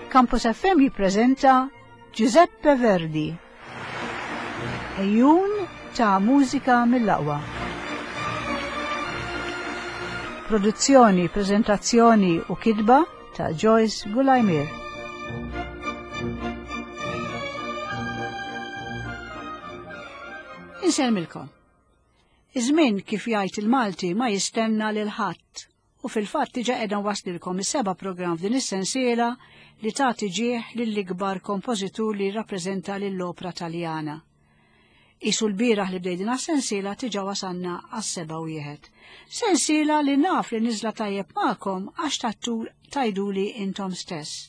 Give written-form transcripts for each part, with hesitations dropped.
Campus FM jippreżenta Giuseppe Verdi. Ejjun ta' mużika mill-aqwa. Produzzjoni, prezentazzjoni u kidba ta' Joyce Gulajmir. Insellmilkom. Iż-żmien kif jgħid il-Malti ma jistenna lil ħadd u fil-fatt diġa qiegħda nwaslilkom is-seba' programm f'din is-sensiela li tagħti ġieħ lill-ikbar kompożitur li jirrappreżenta lill-opra Taljana. Isu l-bieraħ li bdej din sensiela tiġa wasanna għas-seba' wieħed. Sensiela li naf li niżla tajjeb magħkom għax tattur tajduli intom stess.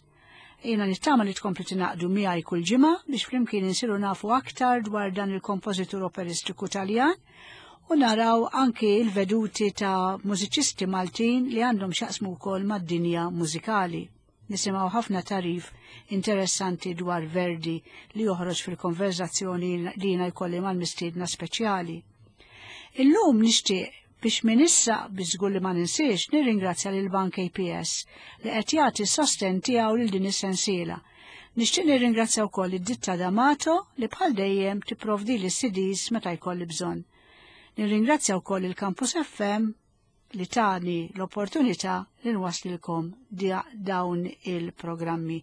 Jiena nittama li tkompli tingħaqdu miegħi kull ġimgħa biex flimkien insiru nafu aktar dwar dan il-kompożitur operistiku Taljan u naraw anki il-veduti ta' mużiċisti Maltin li għandhom xaqsmu wkoll mad-dinja mużikali. Nisimgħu ħafna tarif interessanti dwar Verdi li joħroġ fil-konverzazzjoni li jiena jkolli mal-mistiedna speċjali. Illum nixtieq Biex minn issa, biex żgur li ma ninsiex, nirringrazzja lil Bank APS li qed jagħti s-sostenn tiegħu lil din is-sensiela. Nixtieq nirringrazzja wkoll id-ditta D'Amato li bħal dejjem tipprovdili s-CDs meta jkolli bżonn. Nirringrazzja wkoll il-Campus FM li tani l-opportunità li nwaslilkom dawn il-programmi.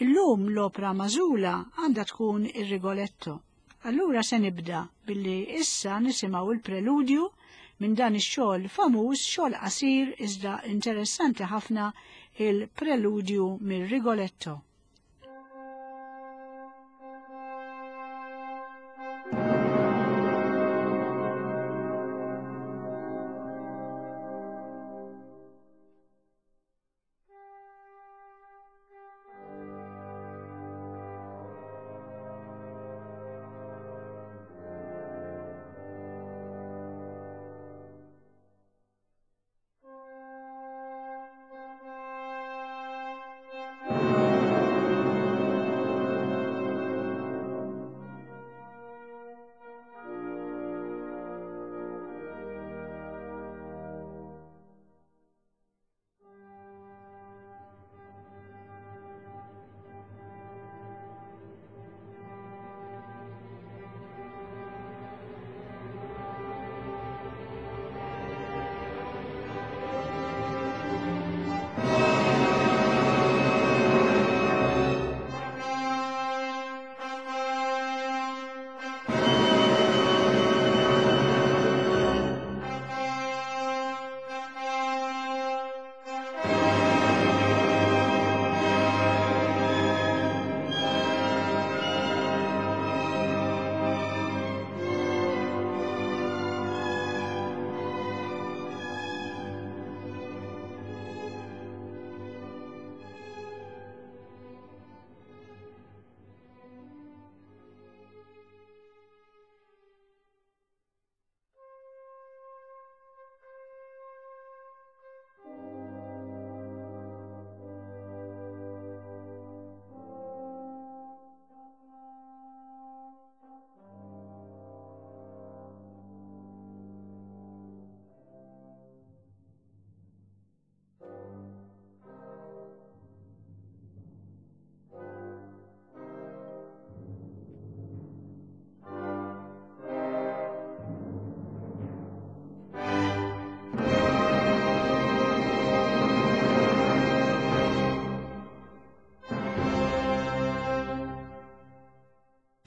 Illum l-opra mażula għandha tkun ir-Rigoletto. Allura se nibda billi issa nisimgħu il-preludju minn dan ix-xogħol famuż, xogħol qasir iżda interessanti ħafna il-preludju mir-Rigoletto.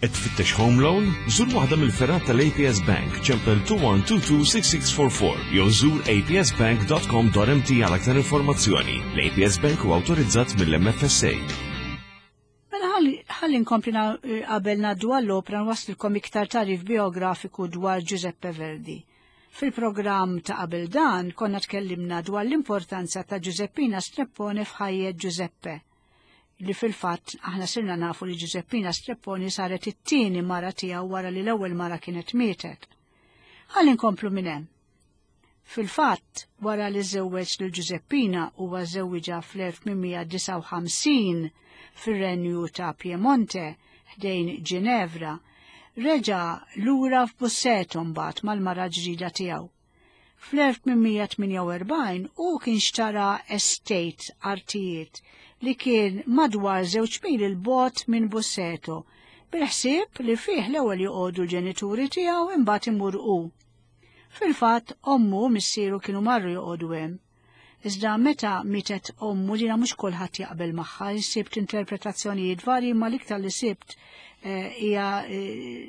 Qed tfittex home loan? Żur waħda mill-fergħat tal-APS Bank ċempel 21226644 jew żur apsbank.com.mt għal aktar informazzjoni. L-APS Bank huwa awtorizzat mill-MFSA. Mela ħalli nkompli eh, qabel ngħaddu għall-opra nwaslilkom iktar tarif biografiku dwar Giuseppe Verdi. Fil-programm ta' qabel dan konna tkellimna dwar l-importanza ta' Giuseppina Streppone f'ħajjet Giuseppe li fil-fatt aħna sirna nafu li Giuseppina Strepponi saret it-tieni mara tiegħu wara li l-ewwel mara kienet mietet. Ħalli nkomplu minn hemm. Fil-fatt, wara li żewweġ lil Giuseppina huwa żewwiġha fl-1859 fir-Renju ta' Piemonte ħdejn Ginevra, reġa' lura f'Busseto mbagħad mal-mara ġdida tiegħu. Fl-1848 hu kien xtara estate artijiet li kien madwar żewġ mil 'il bogħod minn Busseto, bil-ħsieb li fih l-ewwel joqogħdu l-ġenituri tiegħu imbagħad imur hu. Fil-fatt, ommu u missieru kienu marru joqogħdu hemm. Iżda meta mietet ommu dina mhux kulħadd jaqbel magħha, sibt interpretazzjonijiet varji imma l-iktar li sibt eh, hija eh,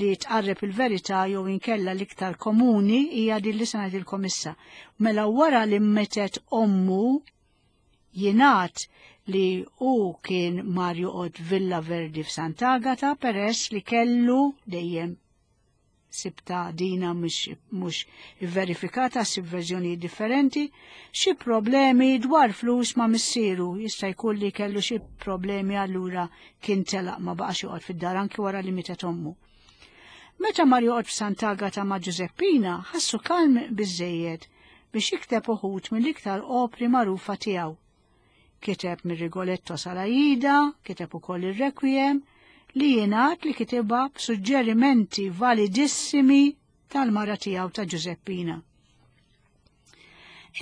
li tqarreb il-verità jew inkella l-iktar komuni hija din li se ngħidilkom issa. Mela wara li metet ommu jingħad li hu kien mar joqgħod Villa Verdi f'Sant'Agata peress li kellu dejjem sibta dina mhux ivverifikata sib verżjonijiet differenti, xi problemi dwar flus ma' missieru, jista' jkun li kellu xi problemi allura kien telaq ma baqax joqgħod fid-dar anki wara li mietet ommu. Meta mar joqgħod f'Sant'Agata ma' Ġużeppina, ħassu kalm biżejjed biex jikteb uħud mill-iktar opri magħrufa tiegħu. Kiteb mir-Rigoletto sal-Aida, kiteb ukoll ir-Requiem, li jingħad li kitibha b'suġġerimenti validissimi tal-mara tiegħu ta' Ġużeppina.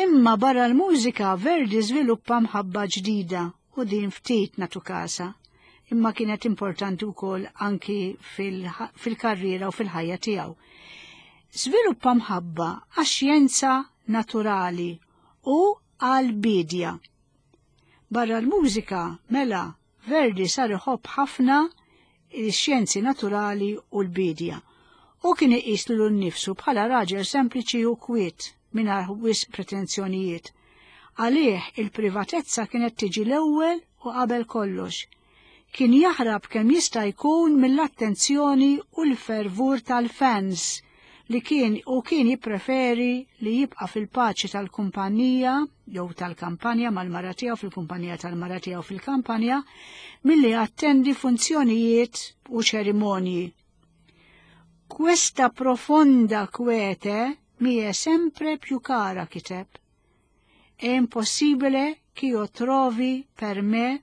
Imma barra l-mużika Verdi żviluppa mħabba ġdida u din ftit natu kasa, imma kienet importanti wkoll anki fil-karriera u fil-ħajja tiegħu. Żviluppa mħabba għax-xjenza naturali u għall-biedja. Barra l-mużika, mela, Verdi sar iħobb ħafna x-xjenzi naturali u l-biedja. Hu kien iqis lilu nnifsu bħala raġel sempliċi u kwiet, mingħajr wisq pretenzjonijiet. Għalih il-privatezza kienet tiġi l-ewwel u qabel kollox. Kien jaħrab kemm jista' jkun mill-attenzjoni u l-fervur tal-fans li kien u kien jippreferi li jibqa' fil-paċi tal-kumpanija jew tal-kampanja mal-mara tiegħu fil-kumpanija tal-mara tiegħu fil-kampanja milli jattendi funzjonijiet u ċerimonji. Questa profonda quiete mi è sempre più cara, kiteb. È impossibile ch'io trovi per me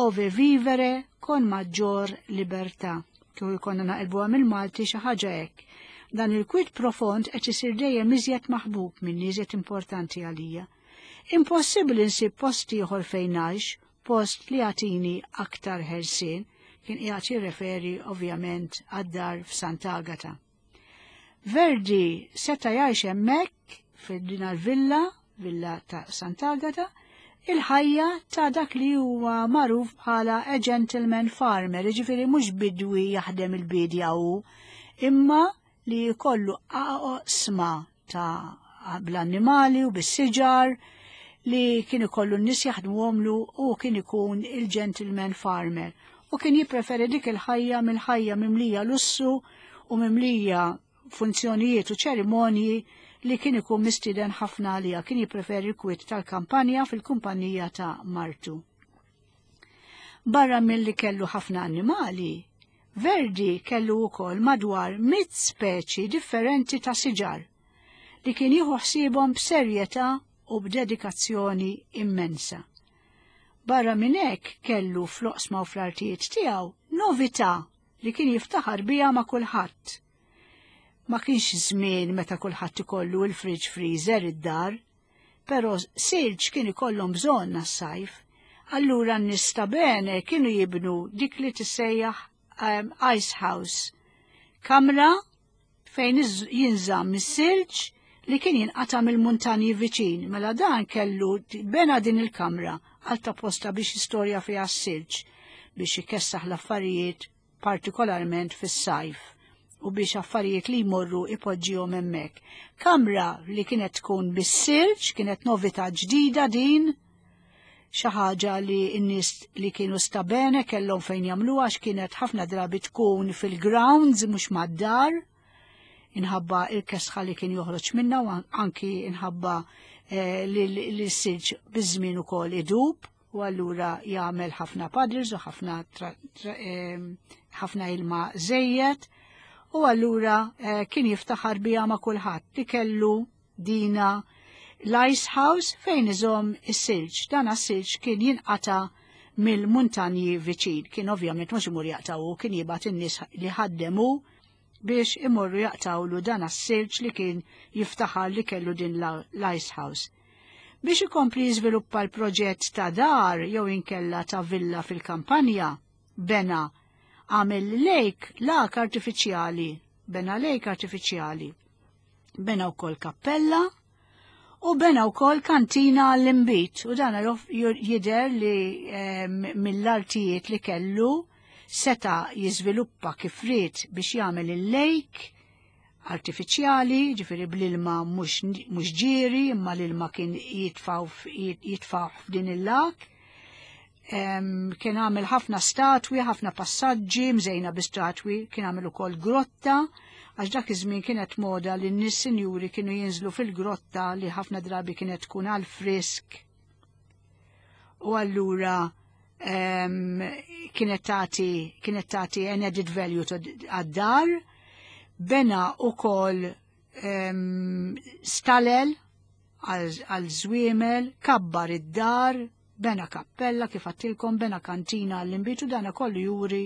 ove vivere con maggior libertà. Kieku jkollna naqilbuha mill-Malti xi ħaġa hekk. Dan il-kwit profond qed isir dejjem iżjed maħbub minni iżjed importanti għalija. Impossibbli nsib post ieħor fejn ngħix, post li jagħtini aktar ħelsien, kien qiegħed jirreferi ovvjament għad-dar f'Sant'Agata. Verdi seta' jgħix hemmhekk f'din villa villa ta' Sant'Agata, il-ħajja ta' dak li huwa magħruf bħala a gentleman farmer, jiġifieri mhux bidwi jaħdem il-bidja hu, imma li jkollu oqsma ta' bl-annimali u bis-siġar li kien ikollu n-nies jaħdmuhomlu u kien ikun il-gentleman farmer. U kien jippreferi dik il-ħajja mill-ħajja mimlija lussu u mimlija funzjonijiet u ċerimonji li kien ikun mistieden ħafna għaliha, kien jippreferi l-kwiet tal-kampanja fil-kumpanija ta' martu. Barra milli kellu ħafna annimali, Verdi kellu wkoll madwar mit speċi differenti ta' siġar li kien jieħu ħsiebhom b'serjetà u b'dedikazzjoni immensa. Barra minn hekk kellu fl-oqsma u fl-artijiet tiegħu novità li kien jiftaħar biha ma' kulħadd. Ma kienx żmien meta kulħadd ikollu il-fridge freezer id-dar, Però silġ kien ikollhom bżonn għas-sajf. Allura n-nies ta' bene kienu jibnu dik li tissejjaħ um, ice house. Kamra fejn jinżamm is-silġ li kien jinqata' mill-muntanji viċin. Mela dan kellu bena din il-kamra għal ta' posta biex istorja fiha s-silġ biex ikessaħ l-affarijiet partikolarment fis-sajf u biex affarijiet li jmorru ipoġġihom hemmhekk. Kamra li kienet tkun bis-silġ, kienet novità ġdida din, xi ħaġa li n-nies li kienu stabene kellhom fejn jagħmluha għax kienet ħafna drabi tkun fil-grounds mhux mad-dar inħabba il-kesħa li kien joħroġ minna u anki inħabba eh, li s-silġ biż-żmien ukoll idub u allura jagħmel ħafna puddles u ħafna ħafna ilma żejjed u allura eh, kien jiftaħar biha ma' kulħadd li kellu dina l-ice house fejn iżomm is-silġ. Dan is-silġ kien jinqata mill-muntanji viċin. Kien ovvjament mhux imur jaqtaw kien jibgħat in-nies li ħaddemu. biex imorru jaqtawlu dan as-silġ li kien jiftaħar li kellu din l-ice house. Biex ikompli jiżviluppa l-proġett ta' dar jew inkella ta' villa fil-kampanja, bena għamel lake lak artifiċjali, bena lake artifiċjali. Bena wkoll kappella u bena wkoll kantina għall-imbit u dan jidher li mill-artijiet li kellu seta jiżviluppa kif ried biex jagħmel il-lake artifiċjali, ġifieri bl-ilma mhux ġieri, imma l-ilma kien jitfaw f'din il-lak. Kien għamel ħafna statwi, ħafna passaġġi, mżejna bi statwi, kien għamel ukoll grotta, għax dak iż-żmien kienet moda li n-nies sinjuri kienu jinżlu fil-grotta li ħafna drabi kienet tkun għal frisk. U allura kienet tagħti kienet tagħti an added value għad-dar. Bena ukoll stalel għal żwiemel, kabbar id-dar, bena kappella kif għattilkom, bena kantina għall-inbitu, dana kollu juri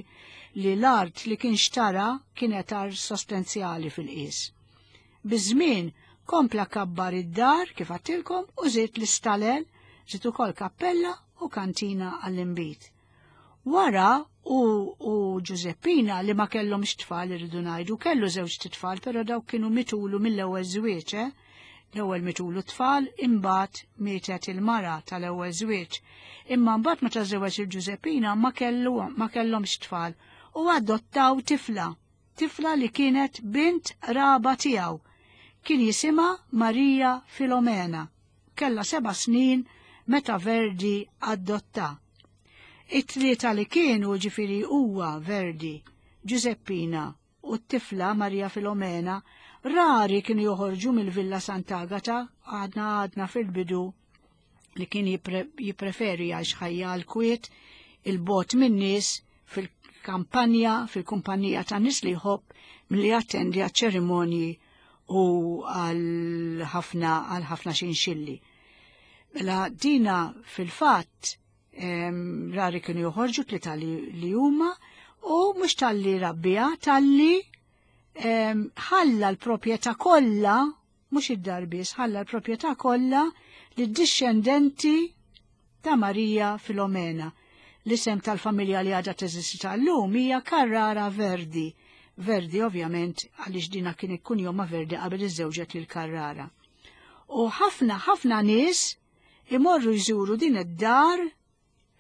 li l-art li kien xtara kienet art sostanzjali fil-qis. Biż-żmien kompla kabbar id-dar kif għattilkom u żied l-istalel, żied ukoll kappella u kantina għall-inbit. Wara u, u Giuseppina li ma kellhomx tfal irridu ngħidu, kellu żewġ tfal, però dawk kienu mitulu mill-ewwel żwieġ, eh? L-ewwel mitulu tfal, imbagħad mietet il-mara tal-ewwel żwieġ. Imma mbagħad meta żewġ il-Giuseppina ma kellu ma kellhomx tfal u adottaw tifla, tifla li kienet bint raba tiegħu. Kien jisimha Marija Filomena. Kellha 7 snin meta Verdi adotta. It-tlieta li kienu ġifiri huwa Verdi, Giuseppina u t-tifla Maria Filomena rari kienu joħorġu mill-Villa Sant'Agata għadna għadna fil-bidu li kien jippreferi għax ħajja l-kwiet il-bot min-nies fil-kampanja, fil-kumpanija ta' nies li jħobb milli jattendi għal ċerimonji u għal ħafna għal ħafna xinxilli. Mela dina fil-fatt rari kienu joħorġu tlieta li huma u mhux talli rabbija, talli ħalla l-proprjetà kollha, mhux id-dar biss, ħalla l-proprjetà kollha lid-dixxendenti ta' Marija Filomena. L-isem tal-familja li għadha teżisti tal-lum hija Carrara Verdi. Verdi ovvjament għaliex dina kien ikun joma Verdi qabel iżżewġet lil Carrara. U ħafna ħafna nies imorru jżuru din id-dar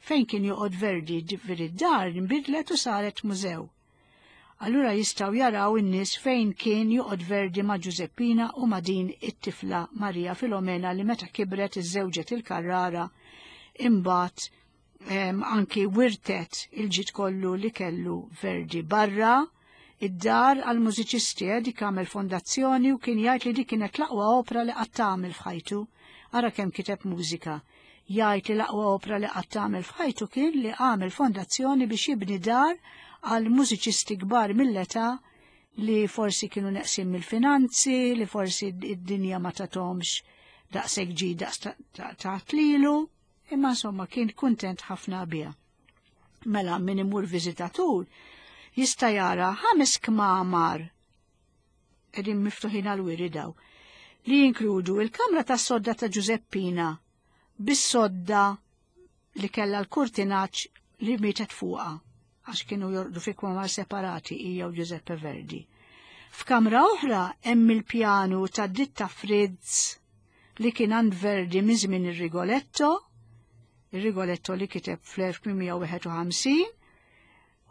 fejn kien joqgħod Verdi, ġifieri d-dar nbidlet u saret mużew. Allura jistgħu jaraw in-nies fejn kien joqgħod Verdi ma' Giuseppina u ma' din it-tifla Maria Filomena li meta kibret iżżewġet il-Carrara imbagħad anki wirtet il-ġid kollu li kellu Verdi barra id-dar għal mużiċisti eh, dik għamel fondazzjoni u kien jgħid li dik kienet l-aqwa opra li qatt tagħmel f'ħajtu. Ara kemm kiteb mużika. Jgħid li l-aqwa opra li qatt tagħmel f'ħajtu kien li għamel fondazzjoni biex jibni dar għal mużiċisti kbar mill-età li forsi kienu neqsin mill-finanzi, li forsi id-dinja ma tatomx daqshekk ġi daqs ta' tlilu, imma insomma kien kuntent ħafna biha. Mela min imur viżitatur jista' jara ħames kmamar qegħdin miftuħin għal wiri daw li jinkludu il-kamra tas-sodda ta' Giuseppina bis-sodda li kellha l-kurtinaġġ li mietet fuqha għax kienu jorqdu fi kmamar separati hija u Giuseppe Verdi. F'kamra oħra hemm il-pjanu ta' ditta Fritz li kien għand Verdi minn żmien ir-Rigoletto, ir-Rigoletto li kiteb fl-1851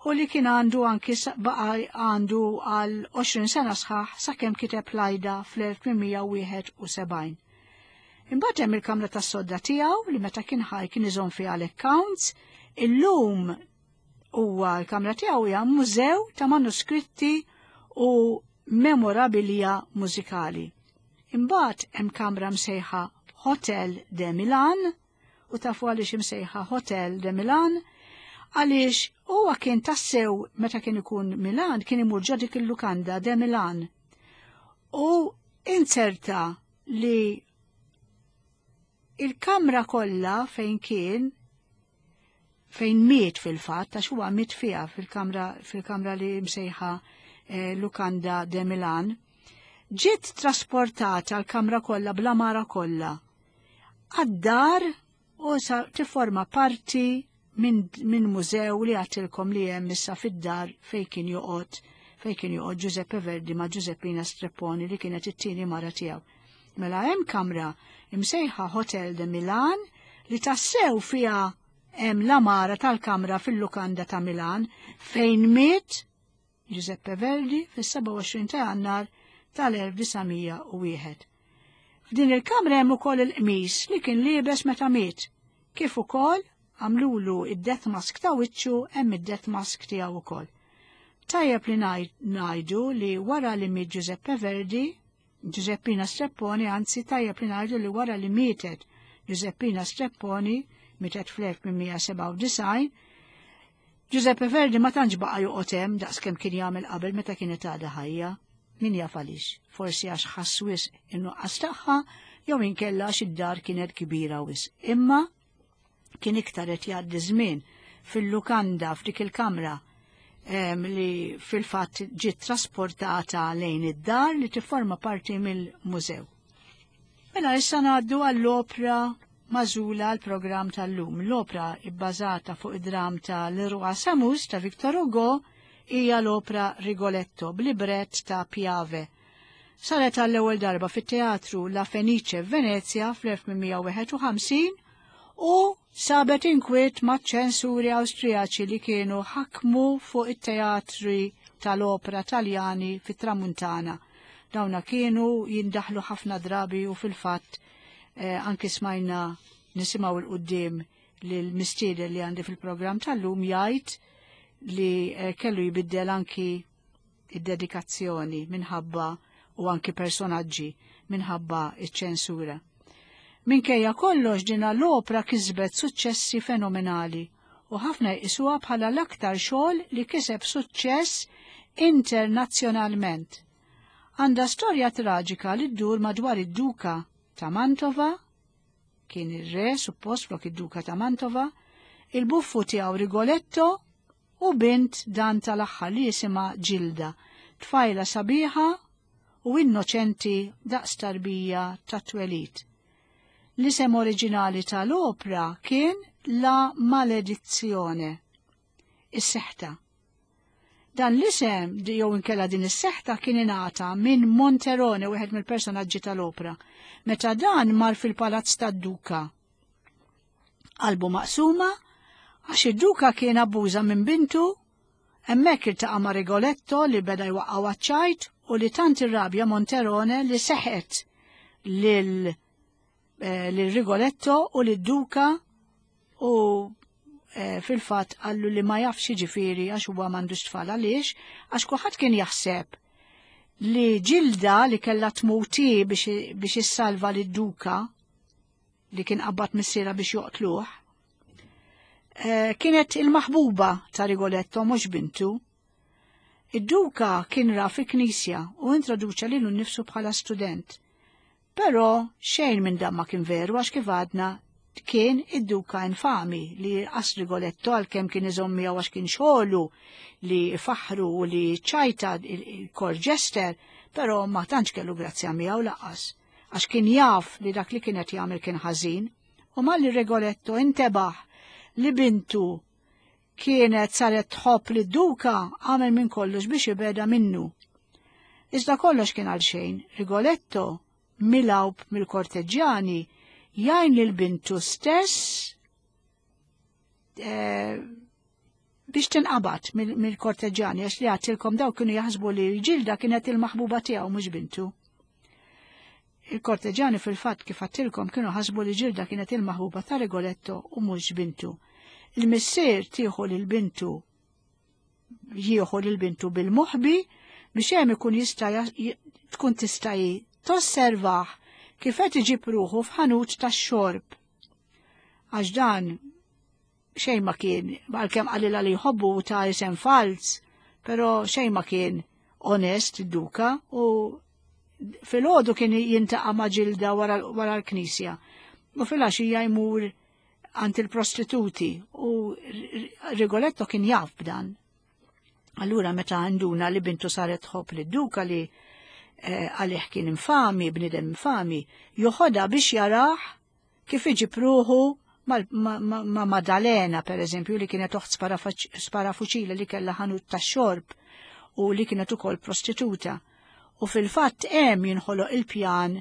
u li kien għandu anki baqa għandu għal 20 sena sħaħ sakemm kiteb l-Aida fl-1871. Imbagħad hemm il-kamra tas-sodda tiegħu li meta kien ħaj kien iżomm fiha l-accounts, illum huwa l-kamra tiegħu hija mużew ta' manuskritti u memorabilia mużikali. Imbagħad hemm kamra msejħa Hotel de Milan, u tafu għaliex imsejħa Hotel de Milan, għaliex huwa kien tassew meta kien ikun Milan kien imur ġo dik il-lukanda de Milan. U inzerta li il-kamra kollha fejn kien fejn miet fil-fatt għax huwa miet fiha fil-kamra fil-kamra li msejħa eh, Lukanda de Milan, ġiet trasportata l-kamra kollha bl-amara kollha għad-dar u sa tifforma parti minn min mużew li għatilkom li hemm issa fid-dar fejn kien joqgħod fejn kien joqgħod Giuseppe Verdi ma' Giuseppina Strepponi li kienet it-tieni mara tiegħu. Mela hemm kamra imsejħa Hotel de Milan li tassew fiha hemm l-amara tal-kamra fil-lukanda ta' Milan fejn miet Giuseppe Verdi fis-27 ta' Jannar tal-1901. F'din il-kamra hemm ukoll il-qmis li kien liebes meta miet, kif ukoll għamlulu id-death mask ta' wiċċu hemm id-death mask tiegħu ukoll. Tajjeb li ngħidu li wara li miet Giuseppe Verdi, Giuseppina Strepponi, anzi tajjeb li ngħidu li wara li mietet Giuseppina Strepponi, mietet fl-1897, Giuseppe Verdi ma tantx baqa' joqgħod hemm daqskemm kien jagħmel qabel meta kienet għadha ħajja. Min jaf għaliex, forsi għax ħass wisq in-nuqqas tagħha jew inkella għax id-dar kienet kbira wisq. Imma kien iktar qed jgħaddi żmien fil-lukanda f'dik il-kamra li fil-fatt ġiet trasportata lejn id-dar li tifforma parti mill-mużew. Mela issa ngħaddu għall-opra magħżula għall-programm tal-lum. L-opra ibbażata fuq id-dram ta' Le Roi Samus ta' Victor Hugo hija l-opra Rigoletto b'librett ta' Piave. Saret għall-ewwel darba fit-teatru La Fenice f'Venezja fl-1851 u sabet inkwiet maċ-ċensuri Awstrijaċi li kienu ħakmu fuq it-teatri tal-opra Taljani fit-Tramuntana. Dawna kienu jindaħlu ħafna drabi u fil-fatt eh, anki smajna nisimgħu 'l quddiem li l-mistieden li għandi fil-programm tal-lum jgħid li eh, kellu jbiddel anki id-dedikazzjoni minħabba u anki personaġġi minħabba iċ-ċensura. Minkejja kollox dina l-opra kisbet suċċessi fenomenali u ħafna jqisuha bħala l-aktar xogħol li kiseb suċċess internazzjonalment. Għandha storja traġika li ddur madwar id-duka ta' Mantova, kien ir-re suppost flok id-duka ta' Mantova, il-buffu tiegħu Rigoletto u bint dan tal-aħħar li jisimha Ġilda, tfajla sabiħa u innoċenti daqs tarbija ta' twelid. L-isem oriġinali tal-opra kien La Maledizione, is-seħta. Dan l-isem jew inkella din is-seħta kien ingħata minn Monterone, wieħed mill-personaġġi tal-opra, meta dan mar fil-palazz tad-duka. Qalbu maqsuma għax id-duka kien abbuża minn bintu, hemmhekk iltaqa' ma' Rigoletto li beda jwaqqgħu għaċ-ċajt u li tant irrabja Monterone li seħet lil eh, lil Rigoletto u lid-duka u eh, fil-fatt qallu li ma jafx ġifieri għax huwa m'għandux tfal għaliex għax kulħadd kien jaħseb li ġilda li kellha tmuti biex issalva lid-duka li kien qabbad missierha biex joqtluh, eh, kienet il-maħbuba ta' Rigoletto mhux bintu. Id-duka kien ra fi knisja u introduċa lilu nnifsu bħala student. Però xejn minn dan ma kien veru għax kif għadna kien id-duka infami li qas Rigoletto għalkemm kien iżomm miegħu għax kien xogħlu li faħru u li ċajta il-kor ġester, però ma tantx kellu grazzja miegħu laqas. għax kien jaf li dak li kien qed jagħmel kien ħażin, u malli Rigoletto intebaħ li bintu kienet saret tħobb li duka għamel minn kollox biex ibeda minnu. Iżda kollox kien għal xejn, Rigoletto milawb mill-korteġġjani jgħin lil bintu stess eh, biex tinqabad mill-korteġġjani għax li għadtilkom daw kienu jaħsbu li ġilda kienet il-maħbuba tiegħu mhux bintu. Il-korteġġjani fil-fatt kif għadtilkom kienu ħasbu li ġilda kienet il-maħbuba ta' Rigoletto u mhux bintu. Il-missier tieħu lil bintu jieħu lil bintu bil-moħbi biex hemm ikun jista' tkun tista' tosservah kif qed iġib ruħu f'ħanut tax-xorb. Għax dan xejn ma kien, għalkemm qalilha li jħobbu ta' isem falz, però xejn ma kien onest id-duka u fil-ħodu kien jintaqa' ma' ġilda wara l-knisja. U fil-għaxija jmur għand il-prostituti u Rigoletto kien jaf b'dan. Allura meta għanduna li bintu saret tħobb li duka li eh, għalih kien infami, bnidem infami, joħodha biex jarah kif iġib ruħu ma' Madalena, per eżempju, li kienet oħt sparafuċile li kellha ħanut ta' xorb u li kienet ukoll prostituta. U fil-fatt hemm jinħoloq il-pjan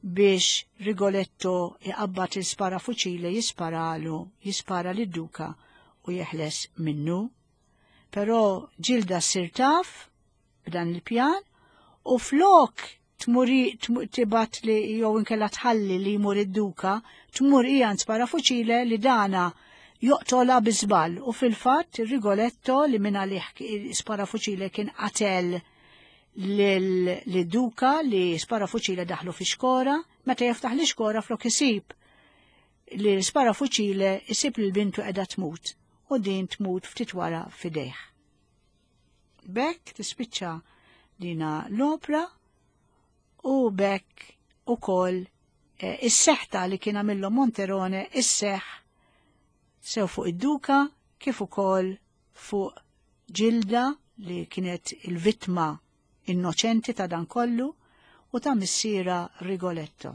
biex Rigoletto iqabbad il-sparafuċile jisparalu, jispara lid-duka u jeħles minnu. Però Ġilda ssir taf b'dan il-pjan u flok tmuri tibat li jew inkella tħalli li jmur id-duka, tmur hija sparafuċile li dana joqtola bi żball u fil-fatt Rigoletto li minn għalih sparafuċile kien qatel lil-duka li sparafuċile daħlu fi xkora, meta jiftaħ li xkora flok isib li sparafuċile isib li l-bintu qiegħda tmut u din tmut ftit wara fidejh. Bekk tispiċċa dina l-opra u bekk ukoll eh, is-seħta li kien għamillu Monterone is-seħ sew fuq id-duka kif ukoll fuq Ġilda li kienet il-vittma innoċenti ta' dan kollu u ta' missiera Rigoletto.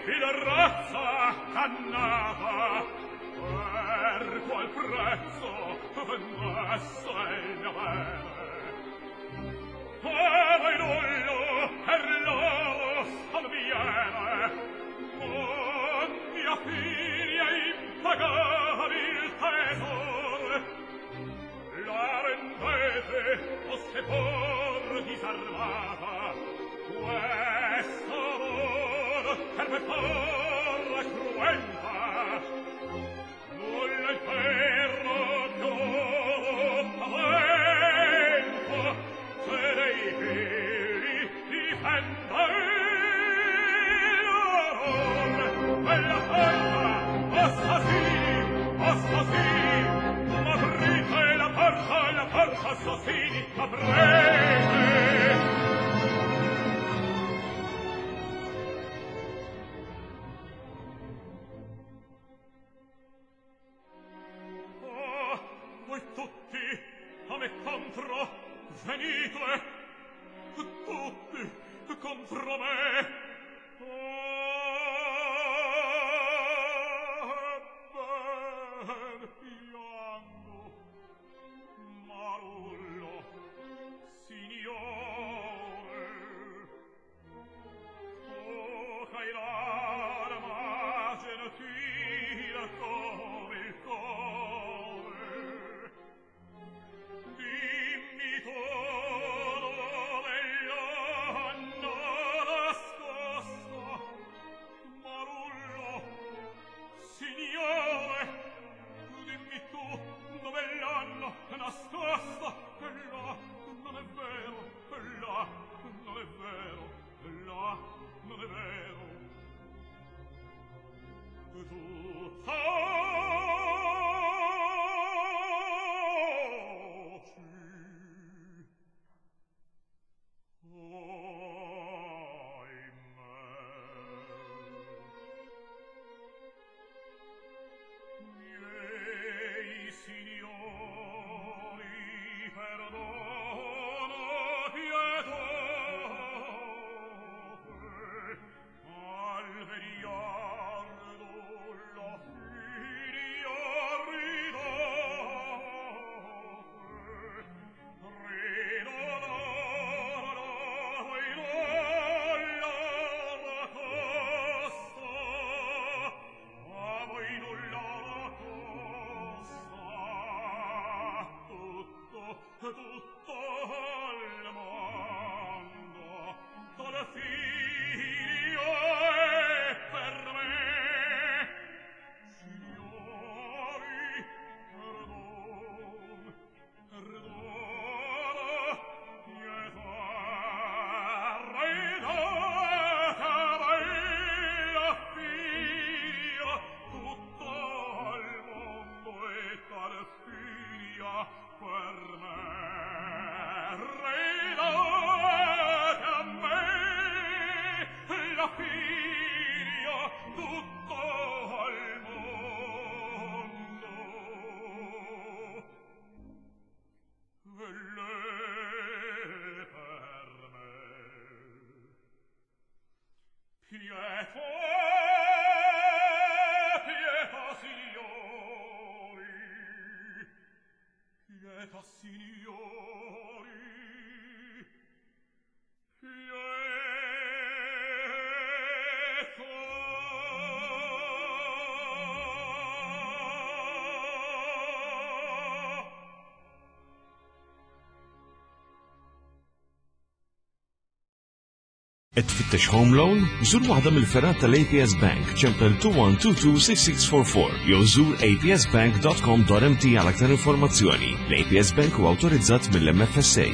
il razza cannava per qual prezzo vendesse il mio bene. Per il nullo per l'oro salviene con mia figlia impagabil tesor. La rendete o se por disarmata questo amor per me porra cruenta. Nulla il ferro più pavento se dei figli difenda l'orror quella porta assassini assassini aprite la porta assassini aprite. Ah, voi tutti a me contro venite, tutti contro me. Ah, ben piango, Marullo, signore, tu ch'hai l'arma gentile come il core, dimmi tu dove l'hanno nascosta, Marullo, signore, dimmi tu dove l'hanno nascosta, che là non è vero, che là non è vero, che là non è vero. Tu taci. Ahimè. Miei signori, perdono pietate, al vegliardo la figlia ridate, ridonarla voi nulla costa, a voi nulla costa, tutto, tutto al mondo, tal figlio è per me. Signori, perdon, perdono, pietà, ridate a me la figlia, tutto al mondo e tal figlia per me. Ridate a me la figlia, tutto al mondo e lei per me. Pietà, pietà, signori, pietà, signori, pietà. Qed tfittex home loan? Żur waħda mill-fergħat tal-APS Bank, ċempel 21226644 jew żur apsbank.com.mt għal aktar informazzjoni. L-APS Bank huwa awtorizzat mill-MFSA.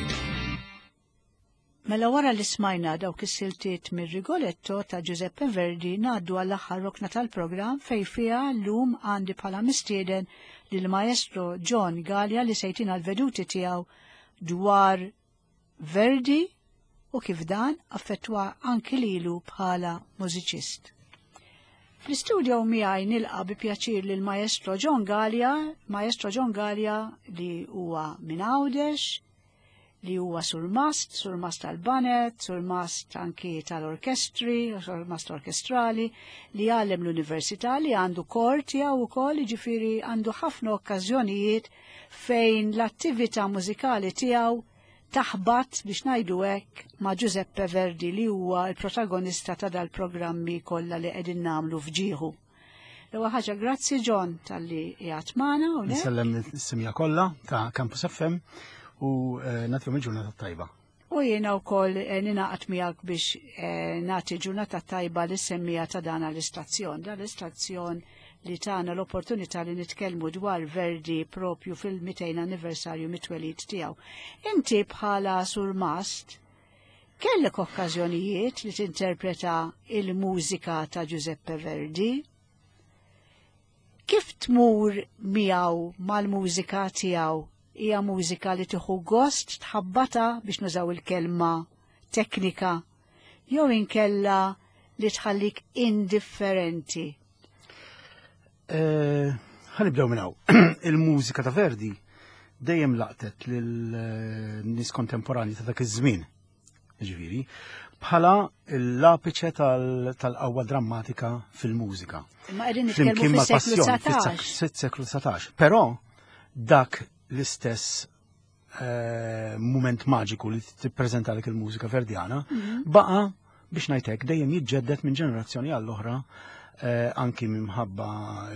Mela wara li smajna dawk is-siltiet mir-Rigoletto ta' Giuseppe Verdi ngħaddu għall-aħħar rokna tal-programm fejn fiha llum għandi bħala mistieden lil maestro John Galea li se jtina l-veduti tiegħu dwar Verdi u kif dan affettwa anki lilu bħala mużiċist. Fl-istudio miegħi nilqa' bi pjaċir lil maestro John Galea, maestro John Galea li huwa minn Għawdex, li huwa surmast, surmast tal-banet, surmast anki tal-orkestri, surmast orkestrali, li għallem l-università li għandu kor tiegħu wkoll, jiġifieri għandu ħafna okkażjonijiet fejn l-attività mużikali tiegħu taħbat biex ngħidu hekk ma' Giuseppe Verdi li huwa l-protagonista ta' dal-programmi kollha li qegħdin nagħmlu f'ġieħu. L-ewwel ħaġa grazzi John talli qiegħed magħna hawnhekk. Nsellem lis-simja kollha ta' Campus FM u eh, nagħtihom il-ġurnata tajba. U jiena wkoll eh, ninaqat miegħek biex eh, nagħti ġurnata tajba lis-semmija ta' dan l-istazzjon. Dan l-istazzjon li tana l-opportunità li nitkellmu dwar Verdi propju fil-200 anniversarju mit-twelid tiegħu. Inti bħala surmast Kellek okkażjonijiet li tinterpreta il-mużika ta' Giuseppe Verdi? Kif tmur miegħu mal-mużika tiegħu? Hija mużika li tieħu gost tħabbata biex nużaw il-kelma teknika jew inkella li tħallik indifferenti? Eh, ħanibdew minn hawn. Il-mużika ta' Verdi dejjem laqtet lil eh, nies kontemporani ta' dak iż-żmien. Ġifieri, bħala l-apiċe tal-qawwa drammatika fil-mużika. Imma qegħdin nitkellmu fis-seklu 19. Fis-seklu 19. Però dak l-istess eh, mument maġiku li tippreżentalek il-mużika verdjana, mhm. baqa biex ngħidlek dejjem jiġġedded minn ġenerazzjoni għall-oħra eh, anki minħabba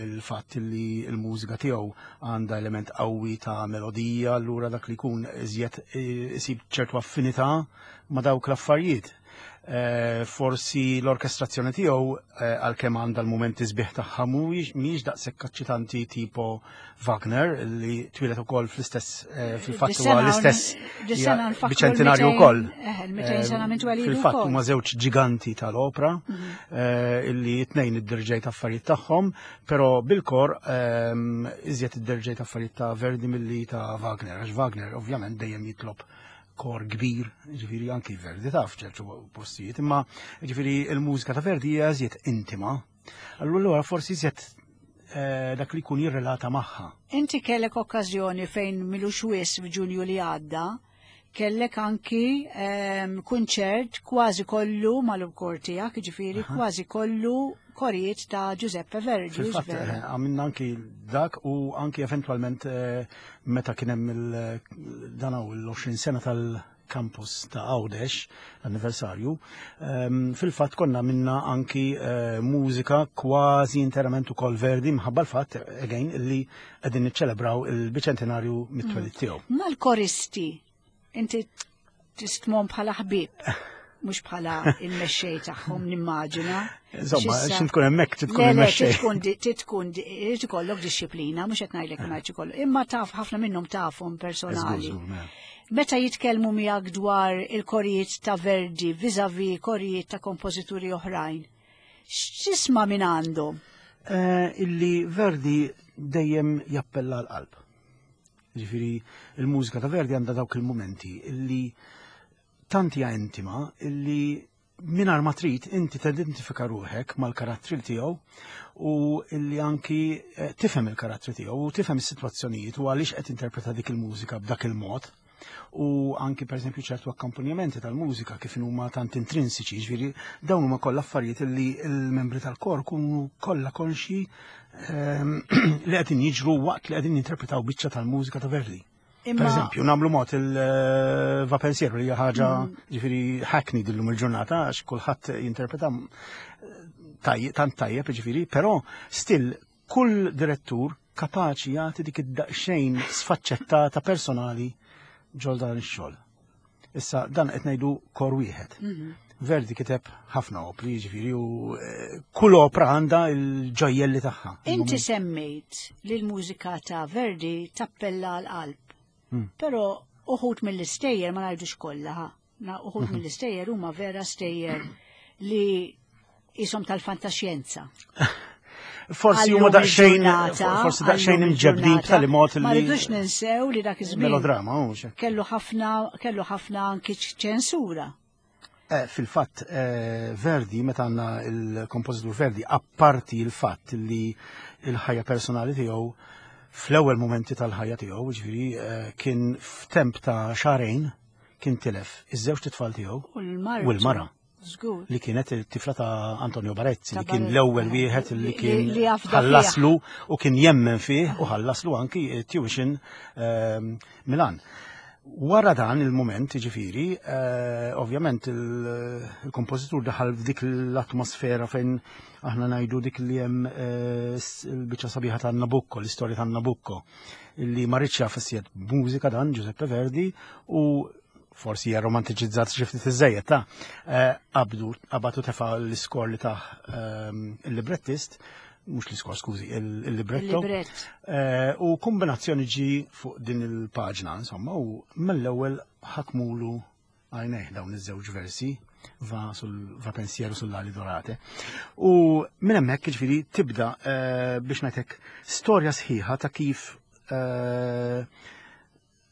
il-fatt li l-mużika tiegħu għandha element qawwi ta' melodija, allura dak li jkun iżjed eh, isib ċertu affinità ma' dawk l-affarijiet. Eh, forsi l-orkestrazzjoni tiegħu eh, għalkemm għandha l-mumenti sbieħ tagħha mhijiex daqshekk eċċitanti tipo Wagner li twieled ukoll fl-istess eh, fil-fatt huwa l-istess biċentinarju wkoll. Fil-fatt huma żewġ ġiganti tal-opra mhm. illi tnejn id-dirġejt affarijiet tagħhom, però bil-kor ehm, iżjed id-dirġejt affarijiet ta' Verdi milli ta' Wagner, għax Wagner ovvjament dejjem jitlob kor kbir, ġifiri anki Verdi taf ċertu postijiet, imma ġifiri il-mużika ta' Verdi hija iżjed intima. Allura forsi iżjed eh, dak li jkun jirrelata magħha. Inti kellek okkażjoni fejn milux wis f'Ġunju li għadda, kellek anki ehm, kunċert kważi kollu mal-kor tiegħek, ġifieri kważi kollu korijiet ta' Giuseppe Verdi. Fil-fatt, eh, għamilna anki dak u anki eventualment eh, meta kien hemm dan l-20 sena tal-campus ta' Għawdex, l-anniversarju, ehm, fil-fatt konna minna anki eh, mużika kważi interament ukoll Verdi mħabba l-fatt again li qegħdin niċċelebraw il-biċentinarju mit-twelid mm. tiegħu. Mal-koristi, inti tistmom bħala ħbieb, mhux bħala il-mexxej tagħhom nimmaġina. Insomma, xin tkun hemmhekk tkun il-mexxej. Tkun tkun irid ikollok dixxiplina, mhux qed ngħidlek ma jkollok, imma taf ħafna minnhom tafhom personali. Mela. Meta jitkellmu miegħek dwar il-korijiet ta' Verdi viżavi korijiet ta' kompożituri oħrajn, x'tisma' minn għandhom? Eh, illi Verdi dejjem jappella l-qalb. Ġifieri il-mużika ta' Verdi għandha dawk il-mumenti illi tant hija intima illi mingħajr ma trid inti tidentifika ruħek mal-karattri tiegħu u illi anki eh, tifhem il-karattri tiegħu u tifhem is-sitwazzjonijiet u għaliex qed interpreta dik il-mużika b'dak il-mod u anki per eżempju ċertu akkompanjamenti tal-mużika kif huma tant intrinsiċi, ġifieri dawn huma kollha affarijiet li l-membri tal-kor kunu kollha konxi ehm, li qegħdin jiġru waqt li qegħdin jinterpretaw biċċa tal-mużika ta' Verdi. Per eżempju, namlu mod il-va pensiero li ħaġa mm. ġifieri hackney dillum il-ġurnata għax kulħadd jinterpreta tant tajjeb ġifieri, però still Kull direttur kapaċi jagħti dik id-daqsxejn sfaċċettata personali ġol dan ix-xogħol. Issa dan qed ngħidu kor wieħed. Mhm. Verdi kiteb ħafna opri, jiġifieri u eh, kull opra għandha l-ġojjelli tagħha. Inti semmejt li l-mużika ta' Verdi tappella l-qalb. Hmm. Però uħud mill-istejjer ma ngħidux kollha, Na uħud mhm. mill-istejjer huma vera stejjer li jisom tal-fantaxjenza. Forsi huma daqsxejn forsi daqsxejn imġebdin b'tali mod li Ma rridux ninsew li dak iż-żmien. Melodrama, hux. Kellu ħafna kellu ħafna anki ċensura. Eh, fil-fatt eh, Verdi, meta għandna il-kompożitur Verdi, apparti il-fatt li il-ħajja personali tiegħu fl-ewwel momenti tal-ħajja tiegħu, ġifieri eh, kien f'temp ta' xarejn. kien tilef iż-żewġ tfal tiegħu U l-mara. Żgur. Li kienet it-tifla ta' Antonio Barezzi, li Ta' kien Barezzi, l-ewwel eh, wieħed li kien li afda ħallaslu u kien jemmen fih u ħallaslu anki tuition Milan. Wara dan il-moment, ġifiri, ovvjament il-kompożitur daħal f'dik l-atmosfera fejn aħna ngħidu dik li hemm il-biċċa sabiħa ta' Nabucco, l-istorja ta' Nabucco, li ma rridx jaf issiet mużika dan Giuseppe Verdi u forsi hija romantiċizzat xi ftit iżejjed ta' qabdu qabatu tefa' l-iskor li taħ il-librettist, mhux l-iskor, skużi, il-libretto. Il-librett. U kombinazzjoni ġi fuq din il-paġna, insomma, u mill-ewwel ħakmulu għajnejh dawn iż-żewġ versi va sul va pensiero sull'ali dorate. U minn hemmhekk jiġifieri tibda biex ngħidlek storja sħiħa ta' kif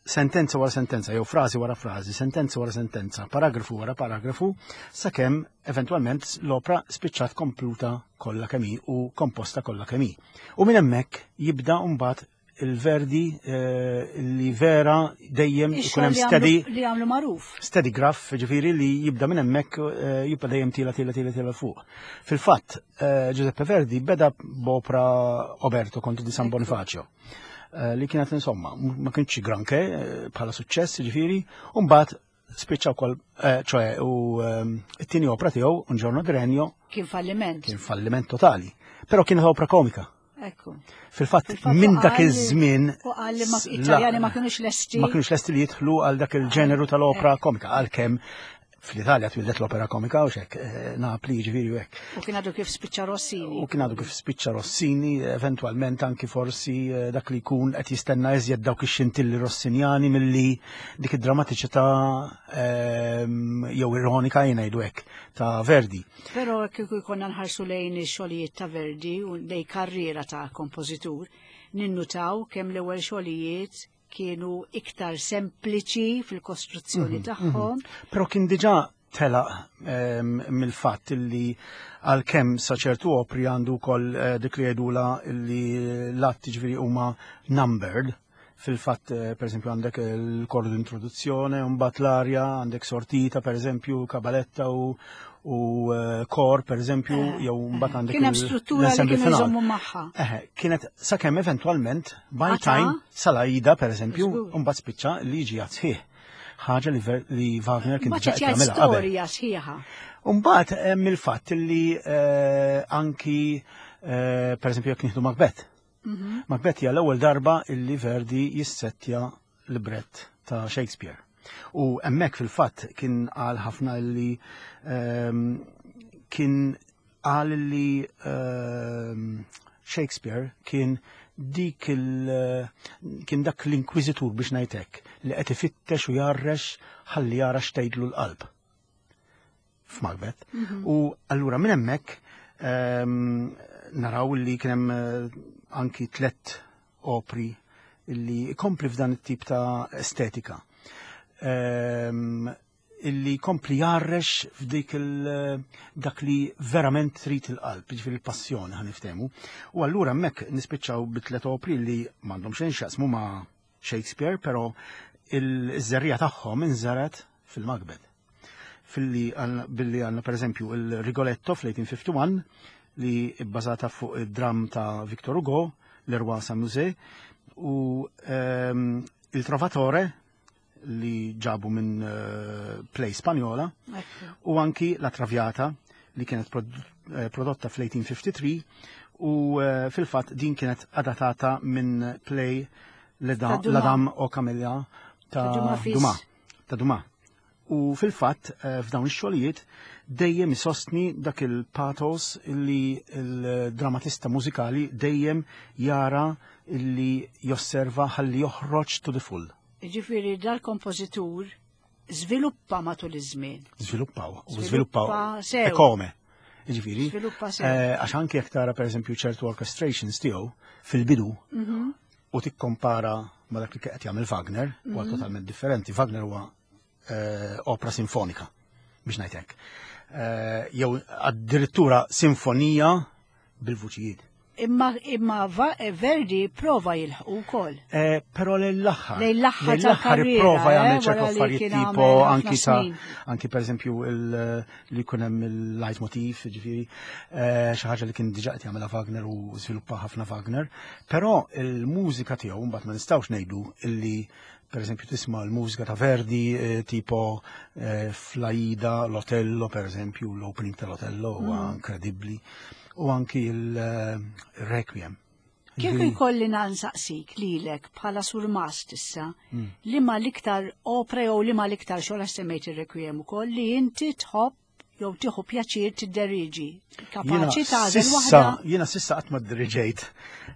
sentenza wara sentenza, jew frażi wara frażi, sentenza wara sentenza, paragrafu wara paragrafu, sakemm eventwalment l-opra spiċċat kompluta kollha kemm hi u komposta kollha kemm hi. U minn hemmhekk jibda mbagħad il-Verdi li vera dejjem Ix-xogħol ikun hemm li għamlu steady li għamlu magħruf. Steady graph, ġifieri li jibda minn hemmhekk jibqa' dejjem tila tila tila tila fuq. Fil-fatt, Giuseppe Verdi beda b'opra Oberto Conte di San Bonifacio, li kienet insomma, ma kienx granché bħala suċċess, ġifieri, u mbagħad spiċċa wkoll ċoe u it-tieni opra tiegħu, Un giorno di regno, Kien falliment. Kien falliment totali. Però kienet opra komika. Ekku. Fil-fatt, Fil-fatt minn dak u iż-żmien u qal li Italjani ma kienux lesti. Ma kienux lesti li jidħlu għal dak il-ġeneru tal-opra komika, għalkemm fl-Italja twildet l-opera komika u xek, Napli ġifieri u hekk. U kien għadu kif spiċċa Rossini. U kien għadu kif spiċċa Rossini, eventualment anki forsi dak li jkun qed jistenna iżjed dawk ix-xintilli Rossinjani milli dik id-drammatiċità jew ironika jien ngħidu hekk ta' Verdi. Però kieku jkollna nħarsu lejn ix-xogħlijiet ta' Verdi u lejn karriera ta' kompożitur, ninnutaw kemm l-ewwel xogħlijiet kienu iktar sempliċi fil-kostruzzjoni tagħhom. Però kien diġà telaq mill-fatt li għalkemm sa ċertu opri għandu wkoll dik li jgħidula li l-atti ġifieri huma numbered. Fil-fatt, per esempio, għandek il-kordu d'introduzzjoni, mbagħad l-arja, għandek sortita, per esempio, kabaletta u kor, per esempio, jew mbagħad għandek Kien hemm struttura li l-assembly kienu final. jżommu magħha. Kienet sakemm eventwalment, by Għata? time, sal-Aida, per esempio, Żgur. mbagħad spiċċa li ġi sħiħ. Ħaġa li Wagner kien Ma diġà ċeċ qed jagħmilha qabel. storja sħiħa. Mbagħad hemm il-fatt li anki per esempio jekk nieħdu Macbeth. Macbeth hija l-ewwel darba illi Verdi jissettja librett ta' Shakespeare. U hemmhekk fil-fatt kien qal ħafna li kien qal li Shakespeare kien dik il, kien dak l-inkwiżitur biex ngħidlek li qed ifittex u jarrex ħalli jara x'tgħidlu l-qalb f'Macbeth. U allura minn hemmhekk naraw li kien hemm anki tlet opri illi kompli f'dan it-tip ta' estetika. Illi kompli jarrex f'dik dak li verament trid il-qalb, jiġifieri il-passjoni ħa niftehmu. U allura hemmhekk nispiċċaw bi tlet opri li m'għandhom xejn x'jaqsmu ma' Shakespeare, però il-żerriegħa tagħhom inżaret fil-Macbeth. Filli billi għandna per eżempju il-Rigoletto fl-1851 li bbażata fuq id-dram ta' Victor Hugo, Le Roi s'amusait, u il Trovatore li ġabu minn play Spanjola, u anki La Traviata li kienet prodotta fl-1853 u fil-fatt din kienet adattata minn play Le Ta' Dumas. La Dame aux Camélias Ta' Dumas fils. Ta' Dumas. U fil-fatt f'dawn ix-xogħlijiet dejjem isostni dak il-pathos li il-dramatista mużikali dejjem jara illi josserva ħalli joħroġ to the full. Ġifieri dal-kompożitur żviluppa matul iż-żmien. Żviluppaw, u Żviluppa żviluppaw sew. E come. Ġifieri, Żviluppa sew. għax anke jekk tara pereżempju ċertu orchestrations tiegħu fil-bidu u tikkompara ma dak li qed jagħmel Wagner, huwa totalment differenti. Wagner huwa opera sinfonika, biex ngħid hekk. Jew addirittura sinfonija bil-vuċijiet. Imma imma eh, Verdi prova jilħqu wkoll. Eh, però lejn l-aħħar. Lejn l-aħħar tal-karriera. Prova eh, jagħmel ċertu affarijiet tipo anki ta' anki pereżempju li jkun hemm il-leitmotiv, ġifieri xi ħaġa li kien diġà qed jagħmilha Wagner u żviluppa ħafna Wagner. Però il-mużika tiegħu mbagħad ma nistgħux ngħidu illi per eżempju tisma' l-mużika ta' Verdi tipo fl-Aida, l-Otello per eżempju, l-opening tal-Otello huwa mm. inkredibbli u anki il-Requiem. Kieku jkolli nansaqsik lilek bħala surmast issa, mm. li ma l-iktar opra jew li ma l-iktar xogħol semmejt ir-Requiem ukoll li inti tħobb jew tieħu pjaċir tidderiġi. Kapaċi tagħżel waħda. Jiena sissa qatt ma dderiġejt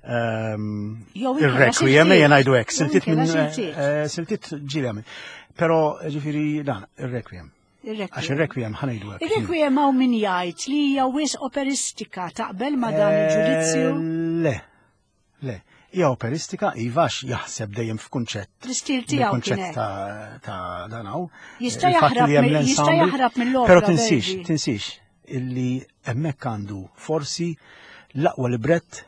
ehm, ir-Requiem ejja ngħidu hekk, siltiet minn eh, siltiet ġieli għamil. Però ġifieri dan ir-Requiem. Għax ir-requiem ħanejdu hekk. Ir-requiem hawn min jgħid li hija wis operistika taqbel ma dan eh, il-ġudizzju? Le. Le. Hija operistika iva għax jaħseb dejjem f'kunċett. L-istil tiegħu kunċett ta' dan hawn. Jista' jaħrab jista' jaħrab mill-opra. Però tinsix, tinsix illi hemmhekk għandu forsi l-aqwa librett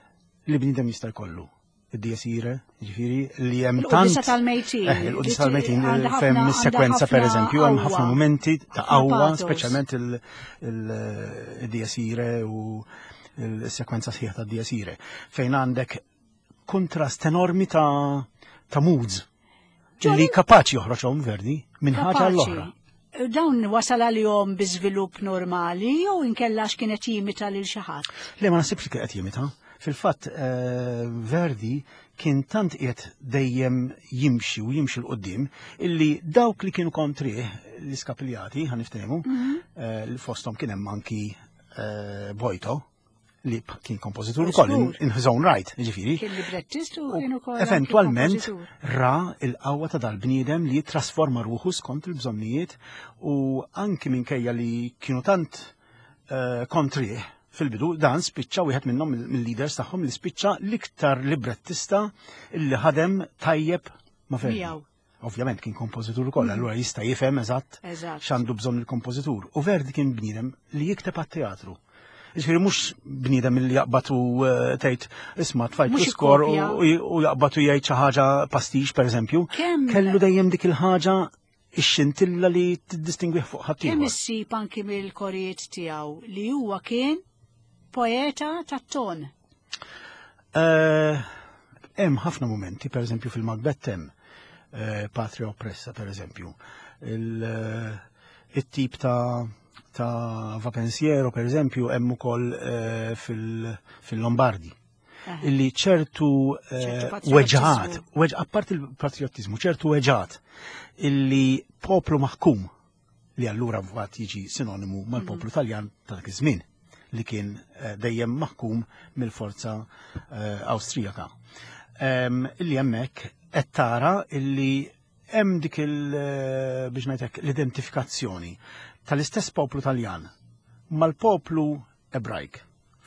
li bniedem jista' jkollu id-Dies Irae, ġifiri, li hemm tant. Il-Qudisa tal-Mejtin. Eh, il-Qudisa tal-Mejtin, fejn is-sekwenza per eżempju, hemm ħafna momenti ta' qawwa, speċjalment il-Dies Irae u il-sekwenza sħiħa ta' Dies Irae, fejn għandek kontrast enormi ta' ta' moods li kapaċi joħroġhom Verdi minn ħaġa l-oħra. Dawn wasal għalihom bi żvilupp normali jew inkella għax kien qed jimita lil xi ħadd? Le ma nasibx li kien qed jimita. Fil-fatt eh, Verdi kien tant qiegħed dejjem jimxi u jimxi l qudiem illi dawk li kienu kontrih l-iskapiljati ħaniftehmu mhm. eh, li fosthom kien hemm anki eh, Bojto, li kien kompożitur ukoll in his own right, ġifieri. Kien librettist u kien ukoll. Eventwalment ra il-qawwa ta' dal-bniedem li jittrasforma ruħu skont il-bżonnijiet u anki minkejja li kienu tant eh, kontrih fil-bidu dan spiċċa wieħed minnhom mill-leaders tagħhom li spiċċa l-iktar librettista li ħadem tajjeb ma' Verdi. Ovvjament kien kompożitur ukoll, mm. allura jista' jifhem eżatt x'għandu bżonn il-kompożitur. U Verdi kien bniedem li jikteb għat-teatru. Ġifieri mhux bniedem li jaqbad u eh, tgħid isma' tfajt skor u jaqbad u jgħid xi ħaġa pastix pereżempju. Kellu dejjem dik il-ħaġa ix-xintilla li tiddistingwih fuq ħadd. Kemm issib anki mill-korijiet tiegħu li huwa kien poeta tat-ton. Eh, hemm ħafna momenti, per eżempju fil-Macbeth hemm eh, Patria Oppressa, per eżempju. Eh, il-tip ta' ta' Va Pensiero, per eżempju, hemm ukoll fil-Lombardi. Illi ċertu weġgħat, apart il-patriotizmu, ċertu weġgħat illi poplu maħkum li allura mbagħad jiġi sinonimu mal-poplu mhm. Taljan ta' dak iż-żmien li kien eh, dejjem maħkum mill-forza eh, Awstrijaka. Ehm, illi hemmhekk qed tara illi hemm dik il eh, biex ngħidlek l-identifikazzjoni tal-istess poplu Taljan mal-poplu Ebrajk